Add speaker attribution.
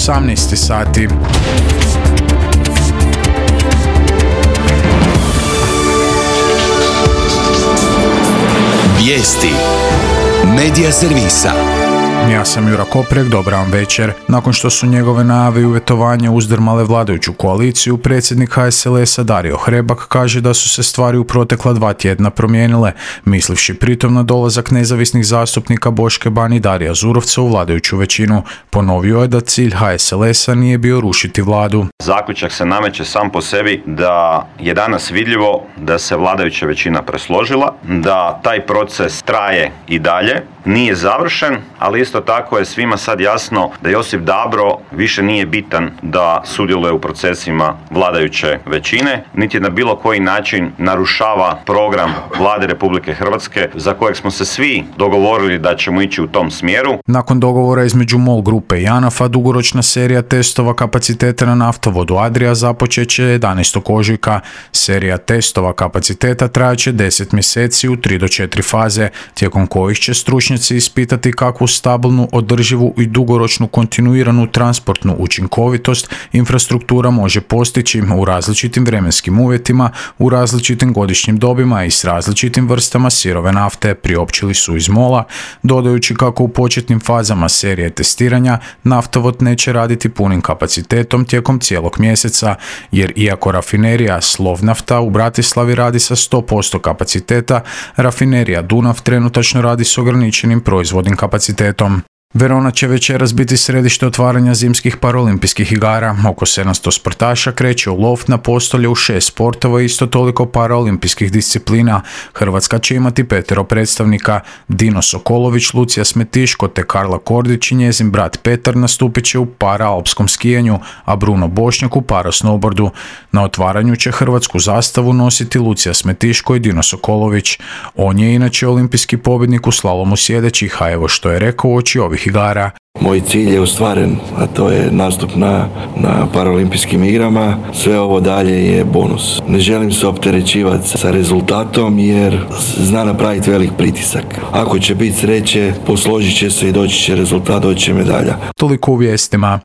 Speaker 1: 18 sati.
Speaker 2: Vijesti Medija servisa.
Speaker 1: Ja sam Jura Koprek, dobar vam večer. Nakon što su njegove najave i uvjetovanja uzdrmale vladajuću koaliciju, predsjednik HSLS-a Dario Hrebak kaže da su se stvari u protekla 2 tjedna promijenile, mislivši pritom na dolazak nezavisnih zastupnika Boške Ban i Darija Zurovca u vladajuću većinu. Ponovio je da cilj HSLS-a nije bio rušiti vladu.
Speaker 3: Zaključak se nameće sam po sebi da je danas vidljivo da se vladajuća većina presložila, da taj proces traje i dalje, nije završen, ali isto tako je svima sad jasno da Josip Dabro više nije bitan da sudjeluje u procesima vladajuće većine, niti na bilo koji način narušava program Vlade Republike Hrvatske za kojeg smo se svi dogovorili da ćemo ići u tom smjeru.
Speaker 1: Nakon dogovora između MOL grupe i ANAF-a, dugoročna serija testova kapaciteta na naftovodu Adria započet će 11. ožujka. Serija testova kapaciteta trajaće 10 mjeseci u 3 do 4 faze, tijekom kojih će stručnjaci ispitati kakvu stabilnu, održivu i dugoročnu kontinuiranu transportnu učinkovitost infrastruktura može postići u različitim vremenskim uvjetima, u različitim godišnjim dobima i s različitim vrstama sirove nafte, priopćili su iz MOL-a, dodajući kako u početnim fazama serije testiranja naftovod neće raditi punim kapacitetom tijekom cijelog mjeseca, jer iako rafinerija Slovnafta u Bratislavi radi sa 100% kapaciteta, rafinerija Dunav trenutačno radi s ograničenim proizvodnim kapacitetom. Verona će večeras biti središte otvaranja zimskih paraolimpijskih igara. Oko 700 sportaša kreće u lov na postolje u 6 sportova i isto toliko paraolimpijskih disciplina. Hrvatska će imati 5 predstavnika. Dino Sokolović, Lucija Smetiško te Karla Kordić i njezin brat Petar nastupit će u paraalpskom skijanju, a Bruno Bošnjak u parasnowboardu. Na otvaranju će hrvatsku zastavu nositi Lucija Smetiško i Dino Sokolović. On je inače olimpijski pobjednik u slalomu sjedećih, a evo što je rekao uoči ovih igara.
Speaker 4: Moj cilj je ostvaren, a to je nastup na paraolimpijskim igrama. Sve ovo dalje je bonus. Ne želim se opterećivati sa rezultatom jer zna napraviti velik pritisak. Ako će biti sreće, posložit će se i doći će rezultat, doći će medalja.
Speaker 1: Toliko u vijestima.